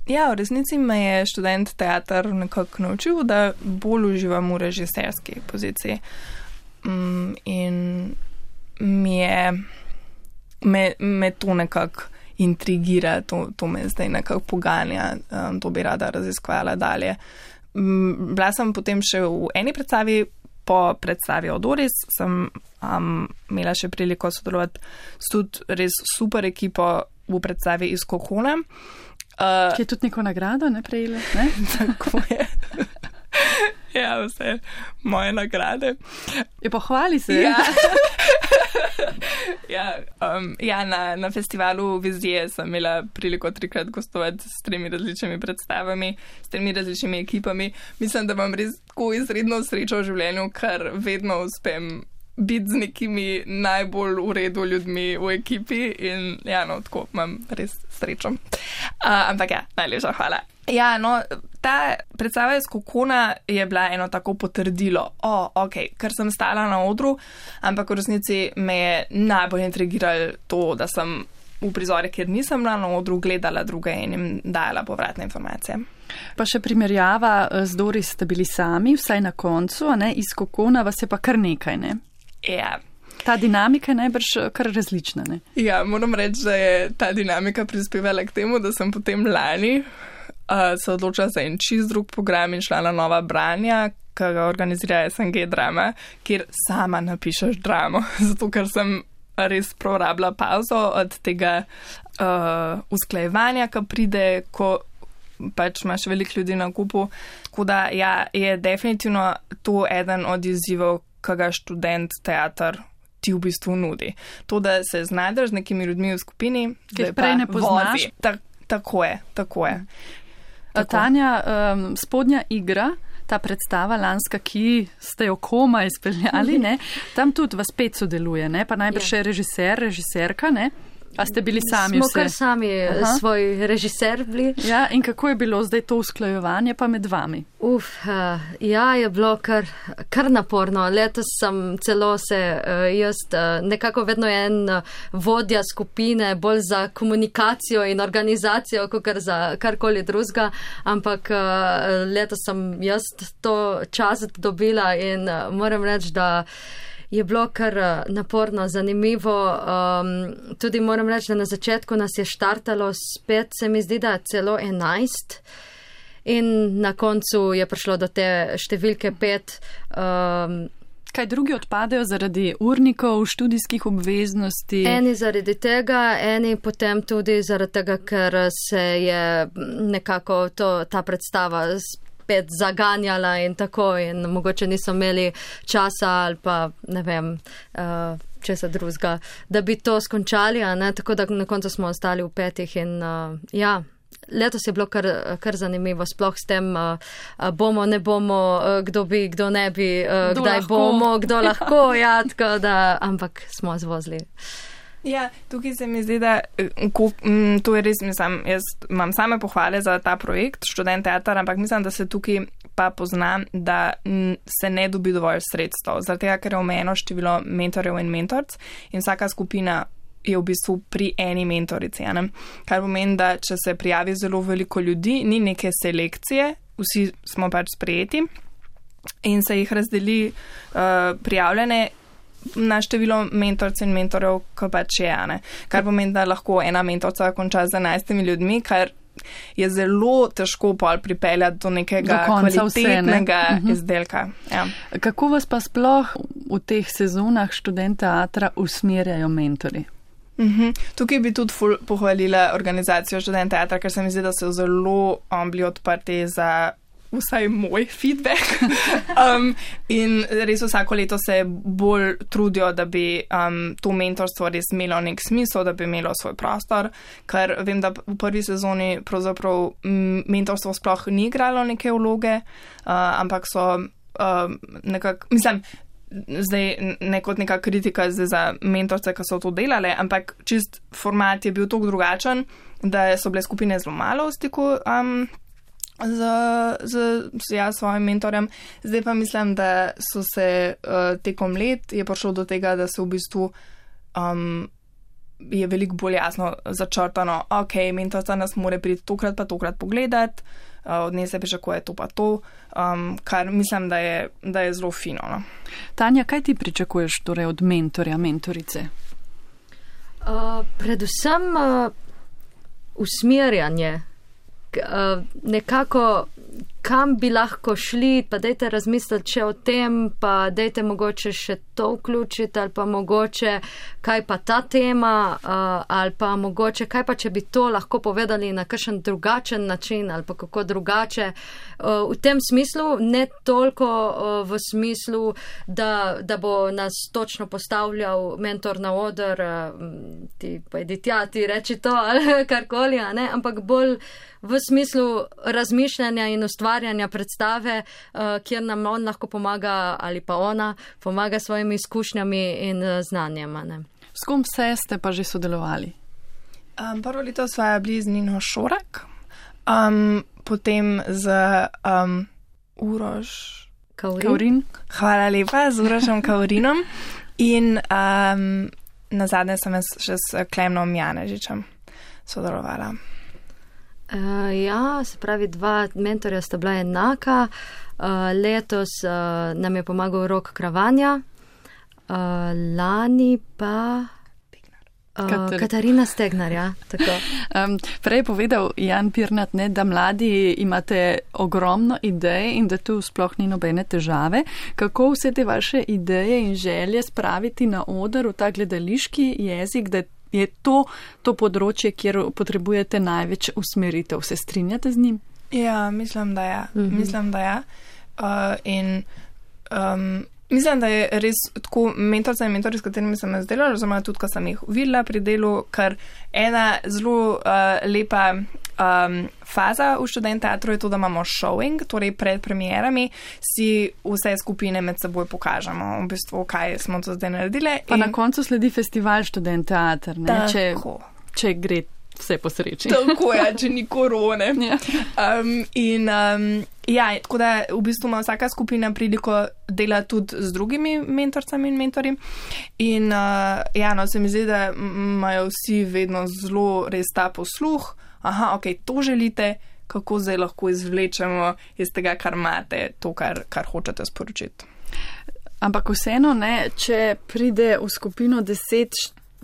S4: Ja, v resnici me je študent teater nekako naučil, da bolj uživam v režiserski poziciji. Um, in mi je, me, me to nekako intrigira, to, to me zdaj nekako poganja, um, to bi rada raziskovala dalje. Um, bila sem potem še v eni predstavi po predstavi Odoris sem um, imela še priliko sodelovati s tudi res super ekipo v predstavi iz Kokona. Uh,
S2: Ki je tudi neko nagrado, ne prejela, ne?
S4: Tako je. Ja, vse moje nagrade.
S2: Je pohvali se.
S4: Ja, ja, um, ja na, na festivalu Vizije sem imela priliko trikrat gostovati s tremi različnimi predstavami, s tremi različnimi ekipami. Mislim, da imam res tako izredno srečo v življenju, ker vedno uspem biti z nekimi najbolj v redu ljudmi v ekipi in ja, no, tako imam res srečo. Uh, ampak ja, najlepša hvala. Ja, no, ta predstava iz Kokona je bila eno tako potrdilo, o, oh, ok, ker sem stala na odru, ampak v resnici me je najbolj intrigiralo to, da sem v prizore, kjer nisem bila na odru, gledala druge in jim dajala povratne informacije.
S2: Pa še primerjava z Doris ste bili sami, vsaj na koncu, a ne, iz Kokona vas je pa kar nekaj, ne?
S4: Ja.
S2: Ta dinamika je najbrž kar različna, ne?
S4: Ja, moram reči, da je ta dinamika prispevala k temu, da sem potem lani uh, se odločila za en čist drug program in šla na Nova branja, ki ga organizira S N G Drama, kjer sama napišeš dramo, zato ker sem res prorabila pauzo od tega uh, usklajevanja, ki pride, ko pač imaš veliko ljudi na kupu. Tako da ja, je definitivno to eden od izzivov, ki ga študent teater ti v bistvu nudi. To, da se znajdeš z nekimi ljudmi v skupini,
S2: ki jih prej ne poznaš.
S4: Ta, tako je, tako je. Tako.
S2: Tanja, um, spodnja igra, ta predstava lanska, ki ste jo komaj izpeljali, ne? Tam tudi vas pet sodeluje, ne? Pa najbrž še režiser, režiserka, ne? A ste bili sami
S3: Smo
S2: vse?
S3: Smo kar sami Aha. svoj režiser bili.
S2: Ja, in kako je bilo zdaj to usklajevanje pa med vami?
S3: Uf, uh, ja, je bilo kar, kar naporno. Letos sem celo se, uh, jaz uh, nekako vedno en uh, vodja skupine, bolj za komunikacijo in organizacijo, kot za karkoli drugega, ampak uh, letos sem jaz to čast dobila in uh, moram reči, da je bilo kar naporno, zanimivo. Um, tudi moram reči, da na začetku nas je štartalo spet, se mi zdi, da celo enajst. In na koncu je prišlo do te številke pet. Um,
S2: Kaj drugi odpadejo zaradi urnikov, študijskih obveznosti?
S3: Eni zaradi tega, eni potem tudi zaradi tega, ker se je nekako to, ta predstava spet zaganjala in tako in mogoče niso imeli časa ali pa ne vem, uh, česa drugega, da bi to skončali, a ne, tako da na koncu smo ostali v petih in uh, ja, letos je bilo kar, kar zanimivo, sploh s tem uh, bomo, ne bomo, uh, kdo bi, kdo ne bi, uh, kdaj lahko. bomo, kdo lahko, ja, tako da, ampak smo zvozili.
S4: Ja, tukaj se mi zdi, da ko, m, to je res, mislim, jaz imam same pohvale za ta projekt, študent teater, ampak mislim, da se tukaj pa pozna, da m, se ne dobi dovolj sredstev, zaradi tega, ker je omejeno število mentorjev in mentorc in vsaka skupina je v bistvu pri eni mentorici, ne? Kar pomeni, da če se prijavi zelo veliko ljudi, ni neke selekcije, vsi smo pač sprejeti in se jih razdeli uh, prijavljene na število mentorc in mentorjev, ko pač je, ne. Kar pomeni, da lahko ena mentorca konča z enajstimi ljudmi, kar je zelo težko pol pripeljati do nekega do kvalitetnega vse, ne? izdelka. Ja.
S2: Kako vas pa sploh v teh sezonah študent teatra usmerjajo mentori?
S4: Mhm. Tukaj bi tudi ful pohvalila organizacijo študent teatra, ker se mi zdi, da so zelo um, bili odprti za vsaj moj feedback. um, in res vsako leto se bolj trudijo, da bi um, to mentorstvo res imelo nek smisel, da bi imelo svoj prostor, ker vem, da v prvi sezoni pravzaprav mentorstvo sploh ni igralo neke vloge, uh, ampak so uh, nekako, mislim, zdaj ne kot neka kritika zdaj za mentorce, ki so to delale, ampak čist format je bil toliko drugačen, da so bile skupine zelo malo v stiku um, z, z, z ja, svojim mentorjem. Zdaj pa mislim, da so se uh, tekom let je prišlo do tega, da se v bistvu um, je veliko bolj jasno začrtano, ok, mentorca nas more priti tokrat pa tokrat pogledati, uh, od nje se pričakuje to pa to, um, kar mislim, da je, da je zelo fino. No?
S2: Tanja, kaj ti pričakuješ torej od mentorja, mentorice?
S3: Uh, predvsem uh, usmerjanje. Uh, nekako, kam bi lahko šli, pa dajte razmisliti še o tem, pa dajte mogoče še to vključiti, ali pa mogoče kaj pa ta tema, uh, ali pa mogoče kaj pa, če bi to lahko povedali na kakšen drugačen način, ali pa kako drugače. Uh, v tem smislu, ne toliko uh, v smislu, da, da bo nas točno postavljal mentor na oder, uh, ti pojdi tja, ti reči to, ali karkoli, a ne, ampak bolj v smislu razmišljanja in ustvarjanja predstave, uh, kjer nam on lahko pomaga ali pa ona pomaga svojimi izkušnjami in uh, znanjem. Ne?
S2: S kom vse ste pa že sodelovali?
S4: Um, prvo leto sva bili z Nino Šorak, um, potem z um, Uroš
S3: Kaurin.
S2: Kaurin.
S4: Hvala lepa, z Urošem Kaurinom in um, na zadnje sem še s Klemnom Janežičem sodelovala.
S3: Uh, ja, se pravi, dva mentorja sta bila enaka. Uh, letos uh, nam je pomagal Rok Kravanja, uh, lani pa uh, Katarina Stegnar. Ja, tako.
S2: Um, prej je povedal Jan Pirnat, ne, da mladi imate ogromno idej in da tu sploh ni nobene težave. Kako vse te vaše ideje in želje spraviti na oder v ta gledališki jezik, da je to to področje, kjer potrebujete največ usmeritev? Se strinjate z njim?
S4: Ja, mislim, da ja. Mm-hmm. Mislim, da ja. Uh, in um, mislim, da je res tako mentorca in mentori, s katerimi sem jaz delala, oziroma tudi, ko sem jih videla pri delu, kar ena zelo uh, lepa um, faza v študent teatru je to, da imamo showing, torej pred premierami si vse skupine med seboj pokažemo, v bistvu, kaj smo to zdaj naredile.
S2: Pa in na koncu sledi festival študent teater, ne? Če, če gre vse po sreči.
S4: Tako je, če ni korone.
S2: Ja.
S4: Um, in um, ja, tako da v bistvu ima vsaka skupina priliko dela tudi z drugimi mentorcami in mentori. In uh, ja, no, se mi zdi, da imajo vsi vedno zelo res ta posluh. Aha, ok, to želite, kako zdaj lahko izvlečemo iz tega, kar imate, to, kar, kar hočete sporočiti.
S2: Ampak vseeno, ne, če pride v skupino deset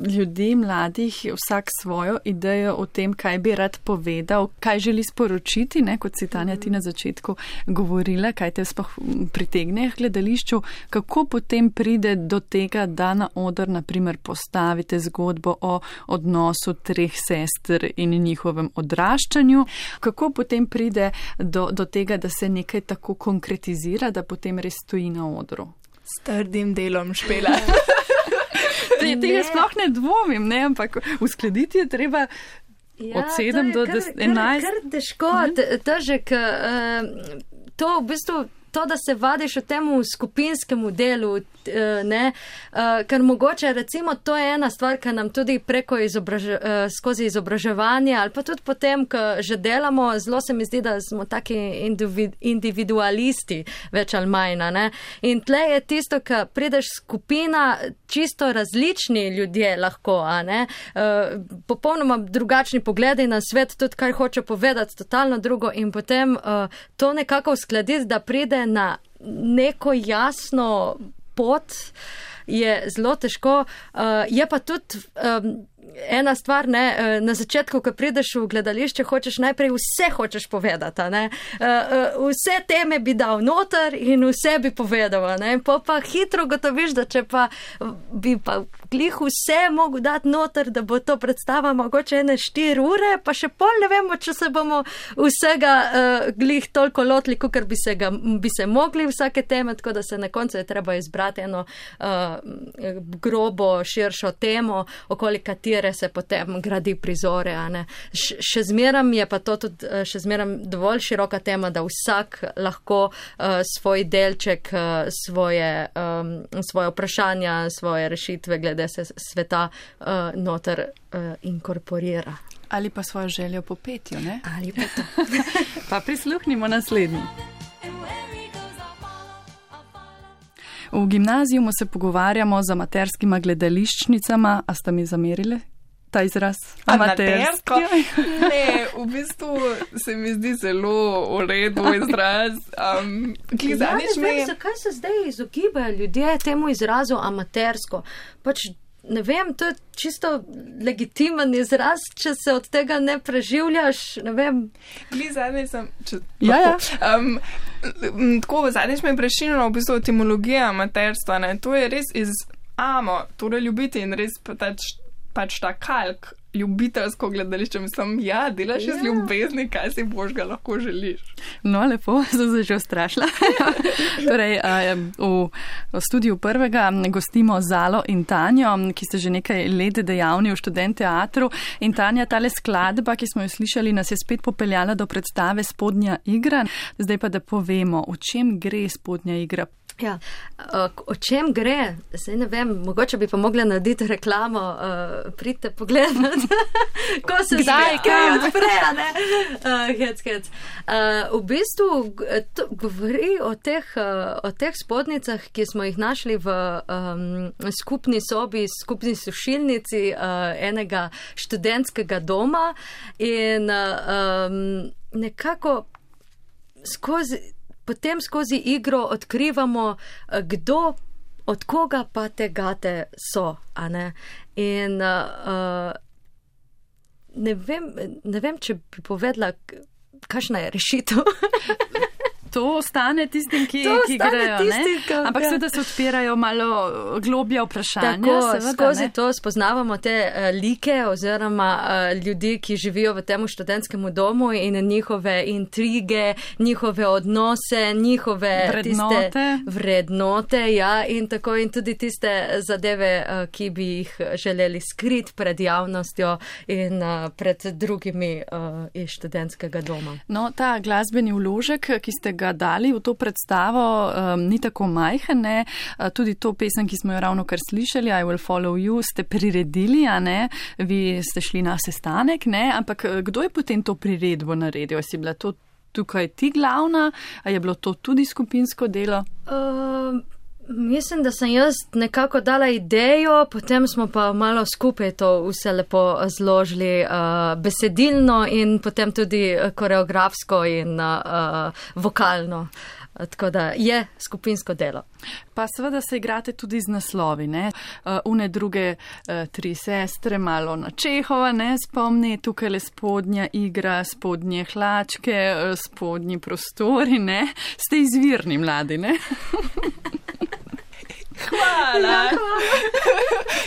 S2: ljudi, mladih, vsak svojo idejo o tem, kaj bi rad povedal, kaj želi sporočiti, ne, kot si Tanja ti na začetku govorila, kaj te sploh pritegne k gledališču, kako potem pride do tega, da na oder, naprimer, postavite zgodbo o odnosu treh sester in njihovem odraščanju, kako potem pride do, do tega, da se nekaj tako konkretizira, da potem res stoji na odru?
S4: S trdim delom, Špela.
S2: Te, tega sploh ne dvomim, ne, ampak uskladiti je treba ja, od sedem do enajst.
S3: Kar, kar težko, težek, uh, to v bistvu, to, da se vadiš v temu skupinskemu delu, ne, ker mogoče, recimo, to je ena stvar, ki nam tudi preko izobraž, skozi izobraževanje ali pa tudi potem, ko že delamo, zelo se mi zdi, da smo taki individualisti, več ali manj, ne. In tle je tisto, ko prideš skupina, čisto različni ljudje lahko, a ne, popolnoma drugačni pogledi na svet, tudi kaj hoče povedati, totalno drugo in potem to nekako uskladiti, da pride na neko jasno pot, je zelo težko. Uh, je pa tudi um, ena stvar, ne, na začetku, ko prideš v gledališče, hočeš najprej vse hočeš povedati, ne. Uh, uh, vse teme bi dal noter in vse bi povedal, ne. Pa pa hitro gotoviš, da če pa bi pa glih vse mogel dati noter, da bo to predstava mogoče ene štiri ure, pa še pol ne vemo, če se bomo vsega uh, glih toliko lotili, kakor bi se, ga, bi se mogli vsake teme, tako da se na koncu je treba izbrati eno uh, grobo, širšo temo, okoli katere se potem gradi prizore. A ne. Š, še zmeram je pa to tudi še zmeram dovolj široka tema, da vsak lahko uh, svoj delček, uh, svoje, um, svoje vprašanja, svoje rešitve glede se sveta uh, noter uh, inkorporira.
S2: Ali pa svojo željo po petju, ne?
S3: Ali pa to.
S2: Pa prisluhnimo naslednji. V gimnaziju se pogovarjamo z amaterskima gledališčnicama, a sta mi zamerile ta izraz?
S4: Amatersko? Ne, v bistvu se mi zdi zelo v redu izraz. Um,
S3: ja, ne vem, zakaj se zdaj izogibajo ljudje temu izrazu amatersko. Pač ne vem, to je čisto legitimen izraz, če se od tega ne preživljaš, ne vem.
S4: Gli zadnji sem, če
S2: ja, ja.
S4: Um, tako, zadnjič me je prešinilo v bistvu etimologija amaterstva, ne, to je res iz amo, torej ljubiti in res pač, pač ta kalk, ljubiteljsko gledališče, mislim, ja, delaš iz ja. ljubezni, kaj si božga lahko želiš.
S2: No, lepo, sem se že ustrašila. Torej, v, v studiju prvega gostimo Zalo in Tanjo, ki ste že nekaj let dejavni v Študent teatru. In Tanja, tale skladba, ki smo jo slišali, nas je spet popeljala do predstave Spodnja igra. Zdaj pa, da povemo, o čem gre Spodnja igra.
S3: Ja, o čem gre? Zdaj ne vem, mogoče bi pa mogla narediti reklamo, uh, pridite pogledati, ko se zdaj kaj odpre, ne? Uh, hec, hec. Uh, v bistvu to govori o teh, uh, o teh spodnicah, ki smo jih našli v um, skupni sobi, skupni sušilnici uh, enega študentskega doma in uh, um, nekako skozi Potem skozi igro odkrivamo, kdo, od koga pa te gate so, a ne? In uh, ne vem, ne vem, če bi povedala, kakšna je rešitev.
S2: To ostane tistim, ki,
S3: to
S2: ki
S3: ostane
S2: grejo,
S3: tistim,
S2: ne? Ampak seveda se odpirajo malo globja vprašanja.
S3: Tako,
S2: seveda,
S3: skozi
S2: ne?
S3: to spoznavamo te uh, like oziroma uh, ljudi, ki živijo v tem študentskemu domu in njihove intrige, njihove odnose, njihove
S2: vrednote.
S3: Tiste vrednote, ja, in tako in tudi tiste zadeve, uh, ki bi jih želeli skriti pred javnostjo in uh, pred drugimi uh, iz študentskega doma.
S2: No, ta glasbeni vložek, ki ste ga ga dali v to predstavo, um, ni tako majhen, ne? Tudi to pesem, ki smo jo ravno kar slišali, I Will Follow You, ste priredili, a ne? Vi ste šli na sestanek, ne? Ampak kdo je potem to priredbo naredil? Si bila to tukaj ti glavna? A je bilo to tudi skupinsko delo?
S3: Uh... Mislim, da sem jaz nekako dala idejo, potem smo pa malo skupaj to vse lepo zložili uh, besedilno in potem tudi koreografsko in uh, vokalno. Tako da je skupinsko delo.
S2: Pa seveda se igrate tudi z naslovi, ne? Uh, une druge uh, tri sestre, malo na Čehova, ne? Spomni, tukaj le spodnja igra, spodnje hlačke, uh, spodnji prostori, ne? Ste izvirni mladi, ne?
S4: Hvala.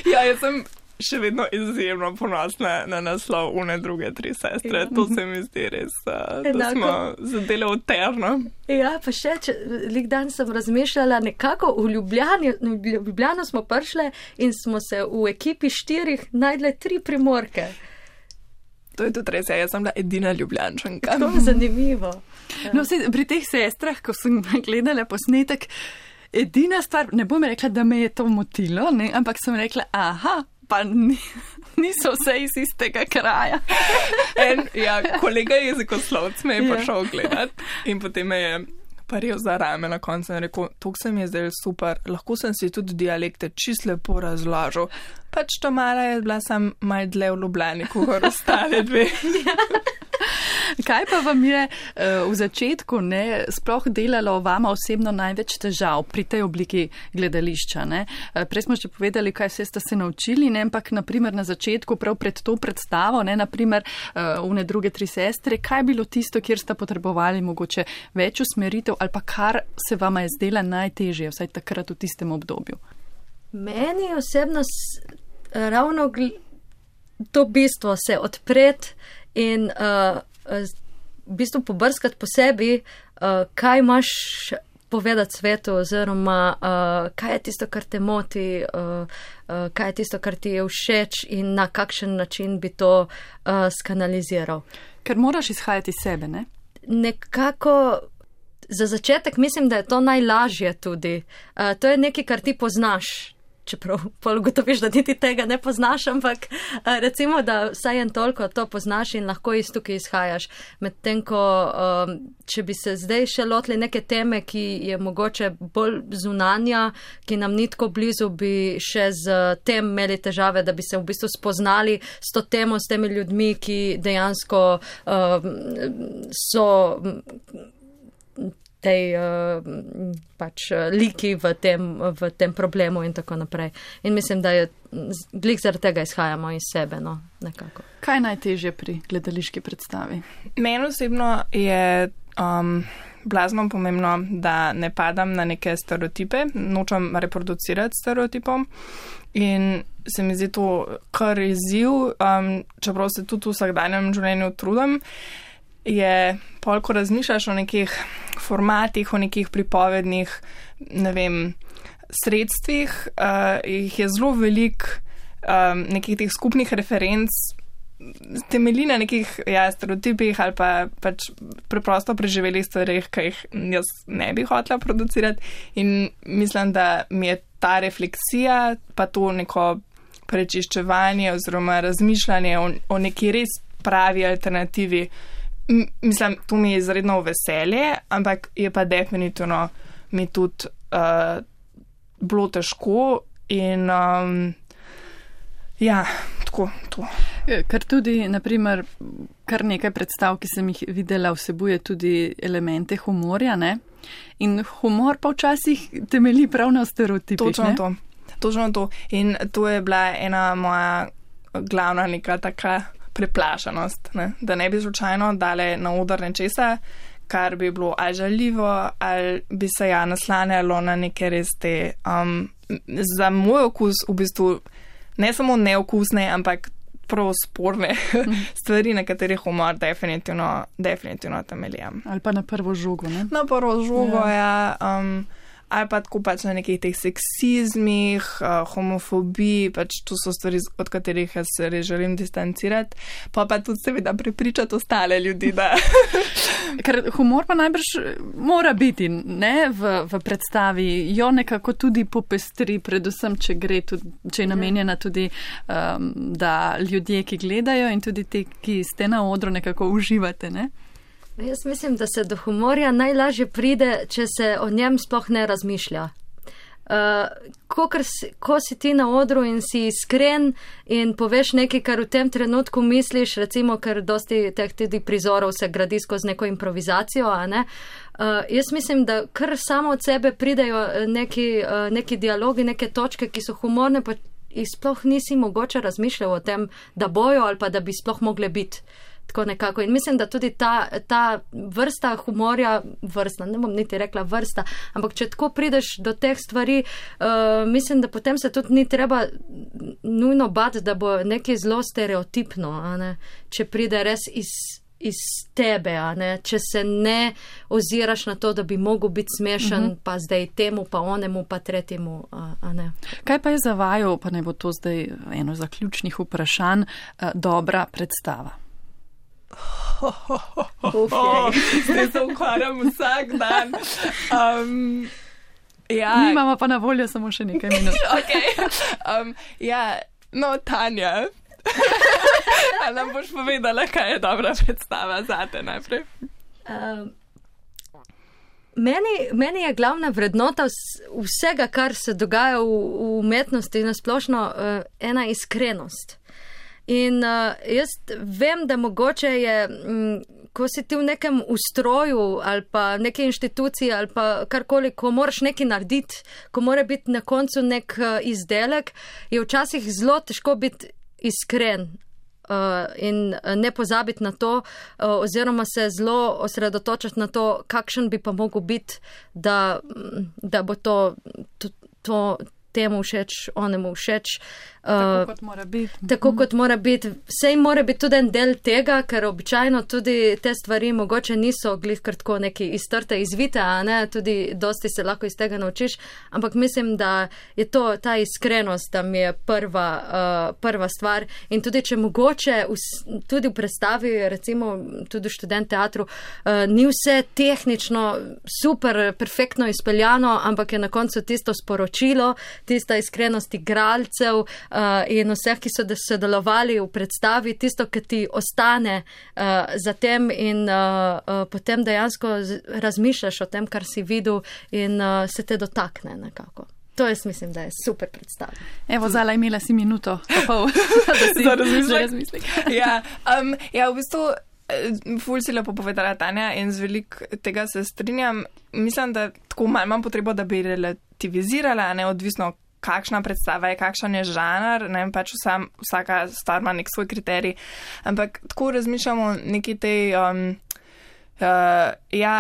S4: Ja, jaz sem še vedno izjemno ponosna na naslov une druge tri sestre. To se mi zdi res, da smo zadeli uterno.
S3: Ja, pa še, če, lik dan sem razmišljala, nekako v Ljubljani, v Ljubljano smo prišle in smo se v ekipi štirih najdle tri Primorke.
S4: To je tudi res, ja, jaz sem bila edina Ljubljančanka.
S3: To je zanimivo. Ja.
S2: No, vse, pri teh sestrah, ko sem gledala posnetek, edina stvar, ne bom rekla, da me je to motilo, ne, ampak sem rekla, aha, pa ni, niso vse iz istega kraja.
S4: En, ja, kolega jezikoslovc me je prišel gledati in potem me je paril za rame na koncu in rekel, tuk se mi je zdaj super, lahko sem si tudi dialekte čist lepo razložil. Pač to mala je bila sam malo dlje v Ljubljani, kot ostale dve.
S2: Kaj pa vam je uh, v začetku ne, sploh delalo vama osebno največ težav pri tej obliki gledališča? Ne? Uh, prej smo že povedali, kaj vse ste se naučili, ne? Ampak naprimer na začetku, prav pred to predstavo, ne? Naprimer uh, une druge tri sestre, kaj je bilo tisto, kjer ste potrebovali mogoče več usmeritev ali pa kar se vama je zdela najtežje, vsaj takrat v tistem obdobju?
S3: Meni osebno s, ravno gl- to bistvo se odpreti in uh, v bistvu pobrskati po sebi, uh, kaj imaš povedati svetu oziroma uh, kaj je tisto, kar te moti, uh, uh, kaj je tisto, kar ti je všeč in na kakšen način bi to uh, skanaliziral.
S2: Ker moraš izhajati iz sebe, ne?
S3: Nekako za začetek mislim, da je to najlažje tudi. Uh, to je nekaj, kar ti poznaš. Čeprav pol ugotoviš, da niti tega ne poznaš, ampak recimo, da vsaj en toliko to poznaš in lahko iz tukaj izhajaš. Medtem ko, če bi se zdaj še lotili neke teme, ki je mogoče bolj zunanja, ki nam ni tako blizu, bi še z tem imeli težave, da bi se v bistvu spoznali s to temo, s temi ljudmi, ki dejansko so tej uh, pač liki v tem, v tem problemu in tako naprej. In mislim, da je glih zaradi tega izhajamo iz sebe, no, nekako.
S2: Kaj je najtežje pri gledališki predstavi?
S4: Meni osebno je um, blazno pomembno, da ne padam na neke stereotipe, nočem reproducirati stereotipom in se mi zdi to kar izziv, um, čeprav se tudi v vsakdanjem življenju trudim, je pol, ko razmišljaš o nekih formatih, o nekih pripovednih, ne vem, sredstvih, uh, jih je zelo velik um, nekih teh skupnih referenc, temelji na nekih ja, stereotipih ali pa pač preprosto preživelih stvarih, ki jih jaz ne bi hotela producirati in mislim, da mi je ta refleksija, pa to neko prečiščevanje oziroma razmišljanje o, o neki res pravi alternativi. Mislim, to mi je izredno veselje, ampak je pa definitivno mi tudi uh, bilo težko in um, ja, tako, to.
S2: Ker tudi, naprimer, kar nekaj predstav, ki sem jih videla, vsebuje tudi elemente humorja, ne? In humor pa včasih temelji prav na stereotipih,
S4: Točno
S2: ne?
S4: to, točno to. In to je bila ena moja glavna neka taka preplašenost, ne? Da ne bi slučajno dale na oder nečesa, kar bi bilo ali žaljivo, ali bi se ja naslanjalo na neke res te, um, za moj okus v bistvu ne samo neokusne, ampak prav sporne stvari, na katerih humor definitivno, definitivno temeljam.
S2: Ali pa na prvo žogo, ne?
S4: Na prvo žogo, ja. ja um, ali pa tako pač na nekih teh seksizmih, uh, homofobiji, pač to so stvari, od katerih jaz se res želim distancirati, pa pa tudi seveda prepričati ostale ljudi, da...
S2: Ker humor pa najbrž mora biti, ne, v, v predstavi, jo nekako tudi popestri, predvsem, če gre tudi, če je namenjena tudi, um, da ljudje, ki gledajo in tudi ti, ki ste na odru, nekako uživate, ne?
S3: Jaz mislim, da se do humorja najlažje pride, če se o njem sploh ne razmišlja. Uh, ko, si, ko si ti na odru in si iskren in poveš nekaj, kar v tem trenutku misliš, recimo, ker dosti teh tudi prizorov se gradi skozi neko improvizacijo, a ne? Uh, jaz mislim, da kar samo od sebe pridejo neki, uh, neki dialogi, neke točke, ki so humorne, pa jih sploh nisi mogoče razmišljal o tem, da bojo ali pa da bi sploh mogle biti. Tako nekako. In mislim, da tudi ta, ta vrsta humorja, vrsta, ne bom niti rekla vrsta, ampak če tako prideš do teh stvari, uh, mislim, da potem se tudi ni treba nujno bati, da bo nekaj zelo stereotipno, a ne? Če pride res iz, iz tebe, a ne? Če se ne oziraš na to, da bi mogel biti smešen, uh-huh. pa zdaj temu, pa onemu, pa tretjemu, a, a ne.
S2: Kaj pa je za vaju, pa ne bo to zdaj eno zaključnih vprašanj, uh, dobra predstava?
S4: Zdaj se ukvarjam vsak dan. Um, ja.
S2: Nimamo pa na voljo samo še nekaj minut.
S4: Okay. Um, ja, no, Tanja, a nam boš povedala, kaj je dobra predstava zate najprej?
S3: Um, meni, meni je glavna vrednota vsega, kar se dogaja v, v umetnosti na splošno, uh, ena iskrenost. In uh, jaz vem, da mogoče je, m, ko si ti v nekem ustroju ali pa neki inštituciji ali pa karkoli, ko moraš nekaj narediti, ko mora biti na koncu nek uh, izdelek, je včasih zelo težko biti iskren uh, in ne pozabiti na to uh, oziroma se zelo osredotočiti na to, kakšen bi pa mogel biti, da, da bo to, to, to temu všeč, onemu všeč.
S2: Tako kot mora biti.
S3: Tako kot mora biti. Sej mora biti tudi en del tega, ker običajno tudi te stvari mogoče niso glih kar tako neki iztrte, izvite, a ne, tudi dosti se lahko iz tega naučiš, ampak mislim, da je to ta iskrenost, da mi je prva, uh, prva stvar in tudi če mogoče v, tudi v predstavi, recimo tudi v študent teatru, uh, ni vse tehnično super, perfektno izpeljano, ampak je na koncu tisto sporočilo, tista iskrenost igralcev, Uh, in vseh, ki so sodelovali v predstavi, tisto, ki ti ostane uh, za tem in uh, uh, potem dejansko razmišljaš o tem, kar si videl in uh, se te dotakne nekako. To jaz mislim, da je super predstava.
S2: Evo, Zala, imela si minuto, pa pol, da si
S4: za razmislek.
S2: razmislek.
S4: ja, um, ja, v bistvu Ful si lepo povedala, Tanja, in z veliko tega se strinjam. Mislim, da tako malo imam potrebo, da bi relativizirala, neodvisno kakšna predstava je, kakšen je žanr, ne vem, pač vsam, vsaka stvar ima nek svoj kriterij, ampak tako razmišljamo neki tej, um, uh, ja,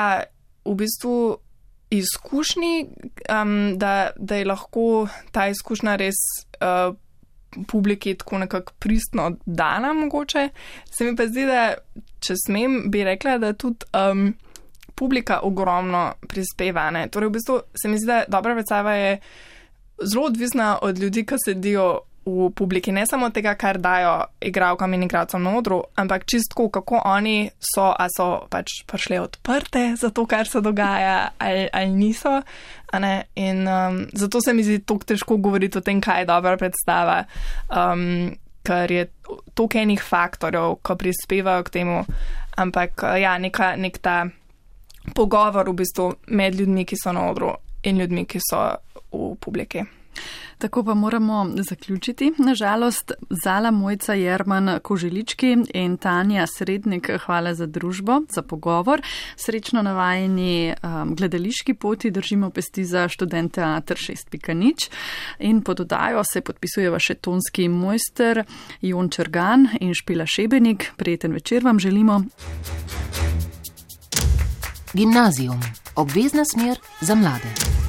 S4: v bistvu izkušnji, um, da, da je lahko ta izkušnja res uh, publiki tako nekako pristno dana mogoče. Se mi pa zdi, da če smem, bi rekla, da tudi um, publika ogromno prispeva. Ne? Torej, v bistvu se mi zdi, da dobra predstava je zelo odvisna od ljudi, ki sedijo v publiki. Ne samo tega, kar dajo igralkam in igralcem na odru, ampak čistko, kako oni so, a so pač prišle odprte za to, kar se dogaja, ali, ali niso. A ne? In um, zato se mi zdi toliko težko govoriti o tem, kaj je dobra predstava, um, ker je toliko enih faktorjev, ko prispevajo k temu, ampak ja, neka, nek ta pogovor v bistvu med ljudmi, ki so na odru in ljudmi, ki so v publiki.
S2: Tako pa moramo zaključiti. Nažalost, Zala Mojca Jerman Koželički in Tanja Srednik, hvala za družbo, za pogovor. Srečno na vajini um, gledališki poti, držimo pesti za študent teater šest pika nič. In pod oddajo se podpisujeva še tonski mojster Jon Črgan in Špela Šebenik. Prijeten večer vam želimo.
S1: Gimnazijum. Obvezna smer za mlade.